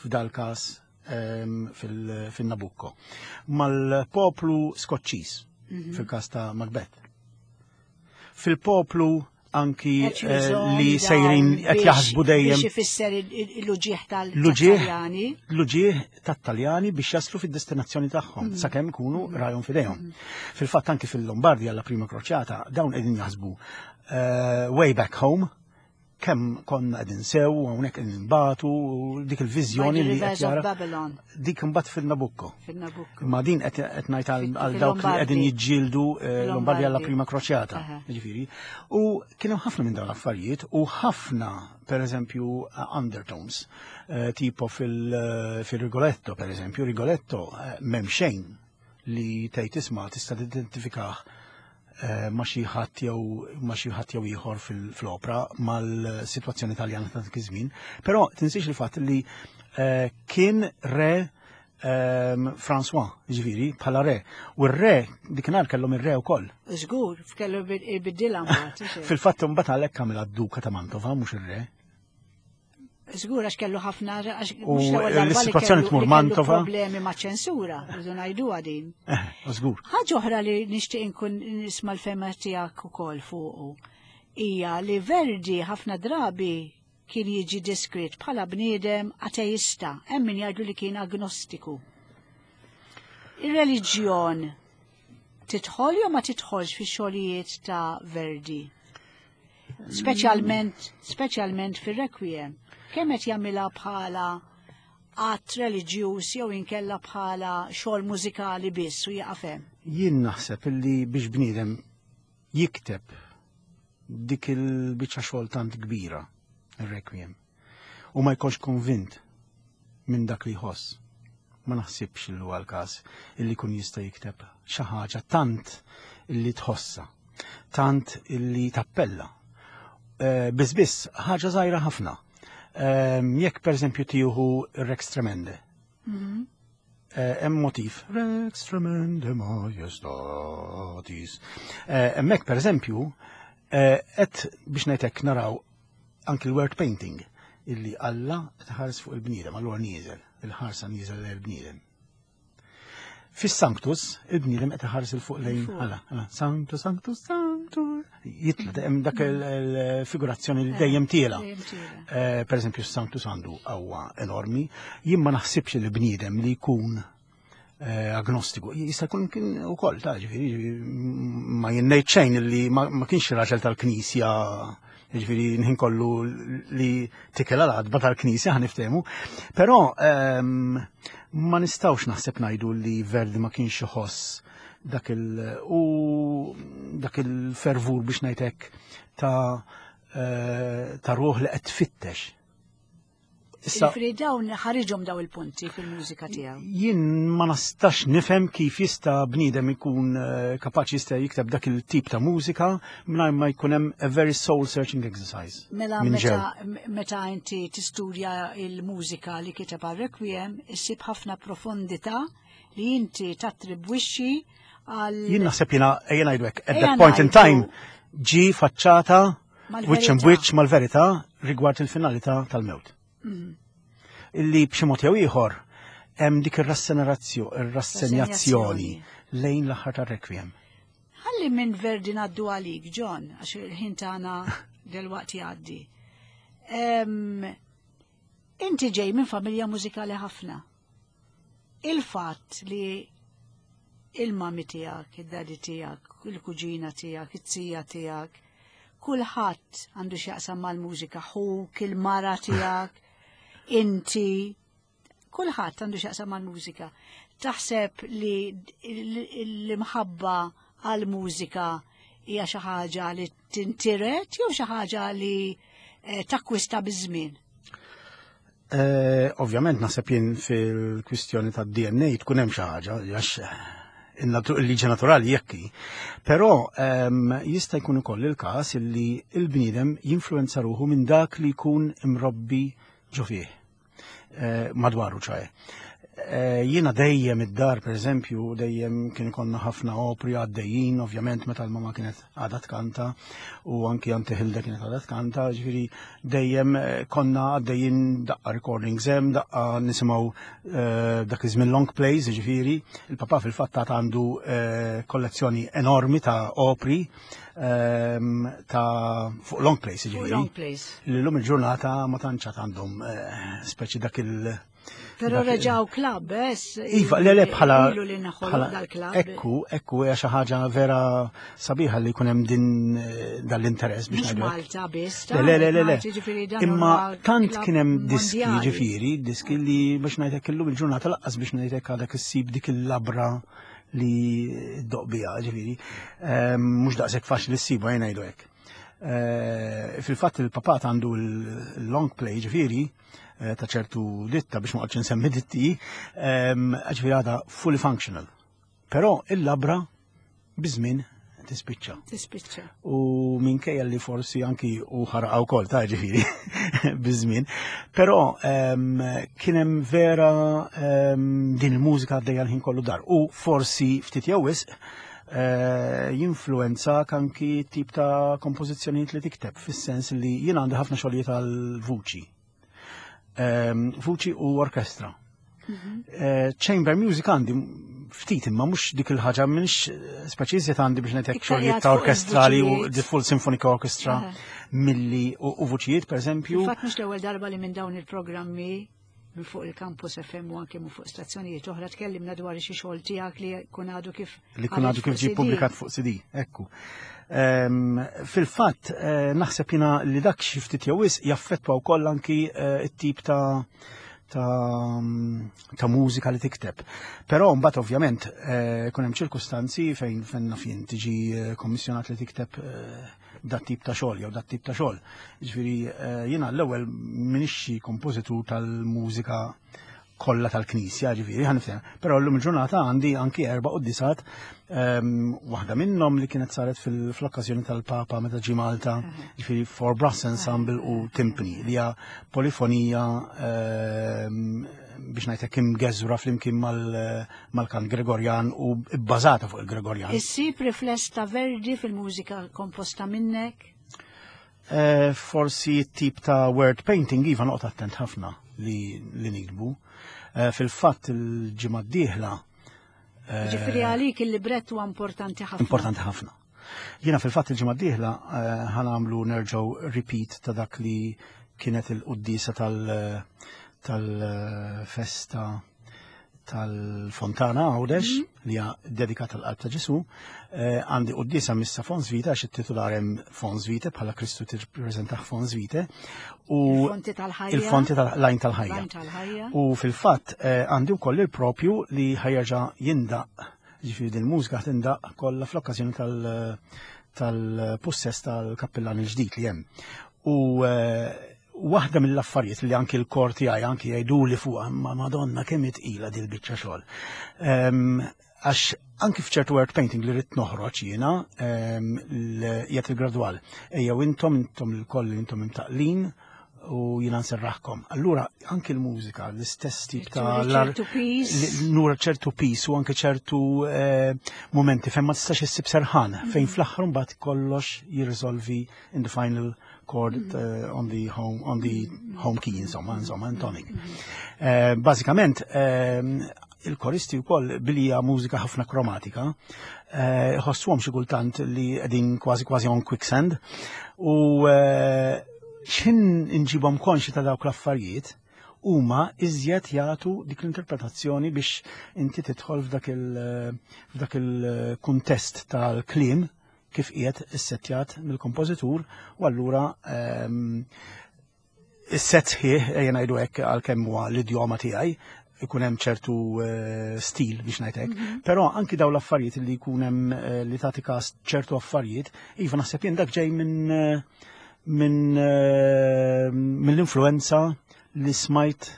f'dal każ ehm, fil-Nabucco, mal-poplu Skoċċiż mhm. fil-każ ta' Macbeth. Fil-poplu anki eh, li sejrin qed jaħsbu dejjem. Biex ifisser l-uġieħ tal-Taljani. L-uġieħ tat-Taljani biex jaslu fid-destinazzjoni tagħhom mm. sakemm ikunu mm. rajhom fidejhom. Mm. Fil-fatt anki fil-Lombardja la prima kroċjata dawn qegħdin jaħsbu eh, way back home kemm konna qegħdin sew u hawnhekk qegħdin nbatu u dik il-viżjoni li qed jara. Dik imbagħad fil-Nabucco. Fil-Nabucco. Ma din qed ngħid għal dawk li qegħdin jiġġieldu eh, Lombardi għalla prima kroċjata, ġifieri. U kien hemm ħafna minn dawn l-affarijiet u ħafna per eżempju undertones, eh, tipo eh, fil-Rigoletto per eżempju, Rigoletto m'hemm xejn li tgħid isma' tista' tidentifikah eh, ma' xi ħadd jew ma' xi ħadd jew ieħor fl-opra mal-sitwazzjoni Taljana ta' dak iż-żmien. Però tinsiex il-fatt li eh, kien re ehm, François, ġifieri, bħala re. U r-re, dikinhar kellhom ir-re wkoll. Żgur, kellu biddilha mbagħad. Fil-fatt imbagħad għalhekk għamilha d-duka ta' Mantova mhux ir-re. Żgur għax kellu ħafna għax mhux l-ewwel darba li kellu tmur Mantova. Problemi ma' ċensura, rridu ngħiduha din. Eh, żgur. Ħaġa oħra li nixtieq inkun nisma' l-fema tiegħek ukoll fuqu hija li Verdi ħafna drabi kien jiġi deskritt bħala bniedem ateista, hemm min jgħidu li kien agnostiku. Ir-reliġjon tidħol jew ma tidħolx fix-xogħlijiet ta' Verdi? Speċjalment, speċjalment fir-Requiem. Kemm qed jagħmilha bħala att reliġjuż jew inkella bħala xogħol mużikali biss u jaqaf hemm? Jien naħseb illi biex bniedem jikteb dik il-biċċa xogħol tant kbira, ir-Requiem, u ma jkunx konvint minn dak li jħoss. Ma naħsibx li huwa l-każ illi jkun jista' jikteb xi ħaġa tant illi tħossha, tant illi tappella. Eh, biss biss ħaġa żgħira ħafna. Ehm, jekk pereżempju tieħu Rex Tremende. Mhm. Eh, hemm motiv Rex Tremende Majestatis. Eh, hemmhekk pereżempju qed biex ngħidlek naraw anki l-word painting illi Alla tħares fuq il-bniedem, allura nieżel, il-ħarsa nieżel lejn il-bniedem. Fis-Sanctus, il-bniedem qed iħares il fuq lejn Alla, Sanctus, Sanctus, Sanctus. Jitla hemm dak il-figurazzjoni li dejjem tiela. Eh, per eżempju, s-Sanctus għandu qawwa enormi. Jien ma naħsibx li bniedem li jkun eh, agnostiku. Jista' jkun kien ukoll ta' ġifieri ma jinnejt xejn li ma kienx raġel tal-Knisja ġifieri nħin kollu li tikel għal għadba tal-Knisja ħaniftehmu. Però ehm, ma nistgħux naħseb ngħidu li Verdi ma kienx iħoss dak il u dak il-fervur biex ngħidlek ta' eh, ta' ruħ li qed tfittex Issa Ġifieri dawn ħariġhom daw il-punti fil-mużika tiegħu. Jien ma nistax nifhem kif jista' bniedem ikun eh, kapaċi jista' jikteb dak il-tip ta' mużika mingħajr ma jkun hemm a very soul searching exercise. Mela meta, meta inti tistudja il-mużika li kiteb għal Requiem, issib ħafna profondità li inti tattribwixxi għal Jien naħseb jiena ejja ngħidu hekk, at that point in time ġi faċċata Wiċċ imwiċċ mal-verità rigward il-finalità tal-mewt. Mm. Illi b'xi mod jew ieħor hemm dik ir-rassenjazzjoni lejn l-aħħar tar-rekwiem. Ħalli minn Verdi ngħaddu għalik, John, għax il-ħin tagħna delwaqt jgħaddi. Inti ġej minn familja mużikali ħafna. Il-fatt li il-mami tiegħek, id-dadi tiegħek, il-kuġina tiegħek, it-tija tiegħek, kulħadd għandu x'jaqsam mal-mużika, ħuk, il-mara tiegħek, inti, kulħadd għandu x'jaqsam mal-mużika. Taħseb li l-imħabba għal-mużika hija xi ħaġa li tintiret jew xi ħaġa li eh, takkwista biż-żmien? Eh, ovvjament naħseb jien fil-kwistjoni ta' DNA tkun hemm xi ħaġa għax il-liġi naturali jekki. Però ehm, jista' jkun ukoll il-każ illi il-bniedem jinfluenza ruħu minn dak li jkun imrobbi ġo fih. Eh, madwaru ċaje. Eh, jiena dejjem id-dar, per eżempju, dejjem kien ikonna ħafna opri għaddejjin, ovvjament meta l-mama kienet għadha tkanta u anki Auntie Hilda kienet għadha tkanta, ġifieri dejjem eh, konna għaddejjin daqqa recordings hemm, daqqa nisimgħu eh, dak iż-żmien long plays, ġifieri, il-papà fil-fatt għandu kollezzjoni enormi ta' opri ehm, ta' fuq long plays, ġifieri. Long plays. L-lum il-ġurnata ma tantx għandhom speċi dak il- Pero reġaw klab, es. Iva, le, le, bħala. Ekku, ekku, hija xi ħaġa vera sabiħa li jkun hemm din eh, dal-interess biex ngħidu. Malta biss. Le, le, le, le. Imma tant kien hemm diski, ġifieri, diski li biex ngħidlek illum il-ġurnata laqqas biex ngħidlek għadek issib dik il-labra li doqbija, ġifieri. Ehm, mhux daqshekk faċli ssibu jien ngħidu hekk. Eh, fil-fatt il-papat għandu l-long play ġifieri, Eh, ta' ċertu ditta biex ma qgħodx insemmi ditti, ehm, ġifieri għadha fully functional. Però il-labra biż-żmien tispiċċa. Tispiċċa. U minkejja li forsi anki u ħarqa wkoll ta' ġifieri biż-żmien. Però ehm, kien hemm vera ehm, din il-mużika għaddejja l-ħin kollu dar. U forsi ftit jew wisq eh, jinfluenzak anki tip ta' kompożizzjonijiet li tikteb, fis-sens li jien għandi ħafna xogħlijiet għal vuċi. Ehm, vuċi u orkestra. Mhm. Eh, chamber music għandi Ftit imma mhux dik il-ħaġa minix speċi iżjed għandi biex ngħidlek xogħlijiet ta' orkestrali u the full symphonic orchestra milli u vuċijiet pereżempju. Fatt mhux l-ewwel darba li minn dawn il-programmi minn fuq il-Campus FM u anke minn fuq stazzjonijiet oħra tkellimna dwar xi xogħol tiegħek li jkun għadu kif li jkun għadu kif ġie ppubblikat fuq CD, ekku. Fil-fatt eh, naħseb jiena li dak xi ftit jew wisq jaffettwa wkoll anki eh, t-tip ta' ta', ta mużika li tikteb. Però mbagħad ovvjament eh, kun hemm ċirkustanzi fejn fejn naf jien tiġi kommissjonat li tikteb dat tip ta' xogħol jew dat tip ta' xogħol. Ġifieri eh, jiena l-ewwel m'iniex xi kompożitur tal-mużika kollha tal-Knisja, ġifieri ħanifhem. Però llum il-ġurnata għandi anki erba' quddisat, waħda minnhom li kienet saret fl-okkażjoni tal-Papa meta ġie Malta, ġifieri for brass ensemble u timpani li hija polifonija biex ngħidlek imgeżwra flimkien mal-kant Gregorjan u bbażata fuq il-Gregorjan. Issib rifless ta' Verdi fil-mużika komposta minnek? Eh, forsi tip ta' word painting iva noqgħod attent ħafna li, li nikbu. Eh, fil-fatt il-ġimgħa d-dieħla. Eh, Ġifieri għalik il-librett huwa importanti ħafna. Importanti ħafna. Jiena fil-fatt il-ġimgħa d-dieħla ħanamlu nerġgħu repeat ta' dak li kienet il-quddisa tal-festa tal-Fontana Għawdex mhm. li hija dedikata l qalb ta' Ġesu, eh, għandi quddisa missa Fons Vita għax it-titular hemm Fons Vita bħala Kristu tirrappreżentah Fons Vita u il-fonti tal-ħajja. Il-fonti tal-lajn tal-ħajja. U fil-fatt eh, għandi wkoll il-propju li ħajjerġa' jindaq Ġifieri din mużika tindaq kollha fl-okkażjoni tal-pussess tal-kappillan il-ġdid li hemm. U eh, waħda mill-affarijiet li anki l-kor tiegħi anki jgħiduli fuqha ma Madonna kemm itqila dil biċċa xogħol. Ehm, għax anki f'ċertu word painting li rrid noħroġ jiena ehm, jgħid il-gradwal. Ejjew intom intom il-koll intom imtaqlin u jina nserraħkom. Allura, anki l-mużika, l-istess tip ta' nura ċertu pis u anke ċertu eh, momenti fejn ma tistax issib serħan, mhm. fejn fl-aħħar mbagħad kollox jirriżolvi in the final chord mhm. eh, on the home on the mhm. home key insomma, insomma, in tonic. Eh, bażikament il-koristi wkoll billi hija mużika ħafna kromatika, ħossuhom xi kultant li qegħdin kważi kważi on quicksand u x'ħin inġibhom konxi ta' dawk l-affarijiet, huma iżjed jagħtu dik l-interpretazzjoni biex inti tidħol f'dak il-kuntest tal-kliem kif qiegħed issettjat mill-kompożitur u allura ehm, is-set sħiħ ejja ngħidu hekk għalkemm huwa l-idjoma tiegħi ikun hemm ċertu eh, stil biex ngħid hekk. Mhm. Però anki dawn l-affarijiet li jkun hemm eh, li tagħti każ ċertu affarijiet, iva naħseb jien dak ġej minn eh, minn mill-influenza li smajt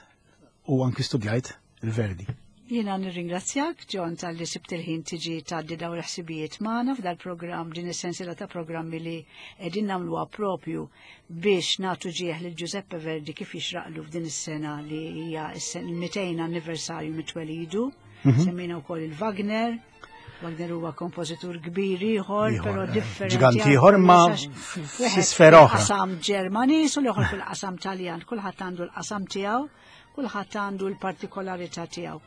u anki studjajt il-Verdi. Jiena nirringrazzjak, John, tal-li sibt il-ħin tiġi tgħaddi dawn il-ħsibijiet magħna f'dal-programm din is-sensiela ta' programmi li qegħdin nagħmluha propju biex nagħtu ġieħ lil Giuseppe Verdi kif jixraqlu f'din is-sena li hija il-200 anniversarju mit-twelidu. Mhm. Semmejna wkoll il-Wagner. Wagner huwa kompożitur kbir ieħor, però eh, differenti. Ġiganti ieħor ma f'sfera oħra. Qasam Ġermaniż u l-ieħor fil-qasam Taljan, kulħadd għandu l-qasam tiegħu. Kulħadd għandu l-partikolarità tiegħu.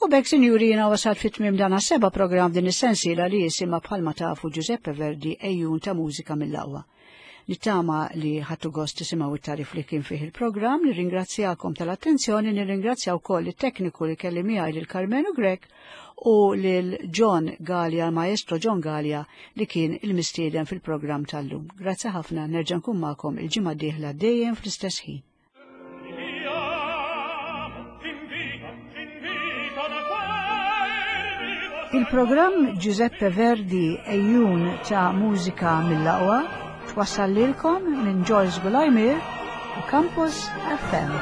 U bekk sinjuri jiena wasalt fit tmiem dan seba' programm din is-sensiela li jisimha bħalma tafu Giuseppe Verdi ejjun ta' mużika mill-aqwa. Nittama li ħattu gost tisimgħu it-tarif li kien fih il-programm, nirringrazzjakom tal-attenzjoni, nirringrazzja wkoll it-tekniku li kelli miegħi lil Karmenu Grek u lil John Galea, l-Maestro John Galea li kien il-mistieden fil-programm tal-lum. Grazzi ħafna, nerġa' nkun magħkom il-ġimgħa d-dieħla dejjem fl-istess ħin. Il-programm Giuseppe Verdi Ejjun ta' mużika mill-aqwa twassal lilkom minn Joyce Gulajmir u Campus FM.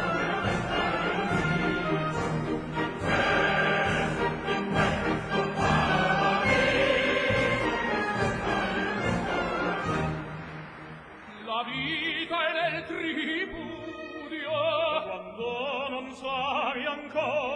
La vita è nel tripudio quando non sai ancora.